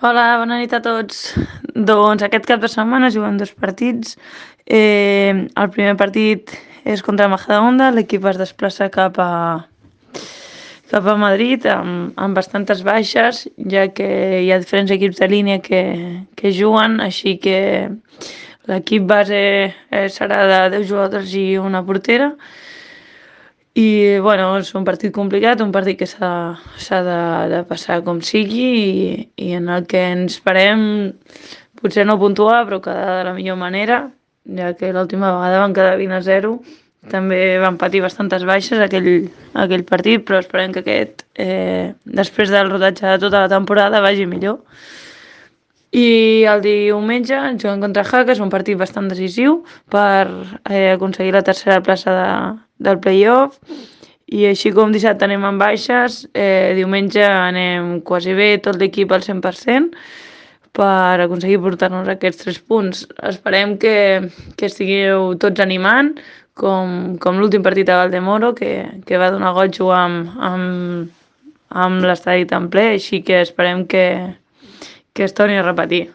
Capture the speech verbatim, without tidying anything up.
Hola, bona nit a tots. Doncs aquest cap de setmana juguen dos partits. Eh, el primer partit és contra Majadahonda, l'equip es desplaça cap a, cap a Madrid amb, amb bastantes baixes, ja que hi ha diferents equips de línia que, que juguen, així que l'equip base eh, serà de deu jugadors i una portera. I bueno, és un partit complicat, un partit que s'ha s'ha de, de passar com sigui i, i en el que ens esperem potser no puntuar, però quedar de la millor manera, ja que l'última vegada van quedar vint a zero. També van patir bastantes baixes aquell, aquell partit, però esperem que aquest, eh, després del rodatge de tota la temporada, vagi millor. I el diumenge juguen contra Jaca, és un partit bastant decisiu per eh, aconseguir la tercera plaça de, del play-off. I així com dissabte anem amb baixes, eh, diumenge anem quasi bé tot l'equip al cent per cent per aconseguir portar-nos aquests tres punts. Esperem que, que estigueu tots animant, com, com l'últim partit a Valdemoro, que, que va donar goig jugar amb, amb, amb l'estadi tan ple, així que esperem que, que es torni a repetir.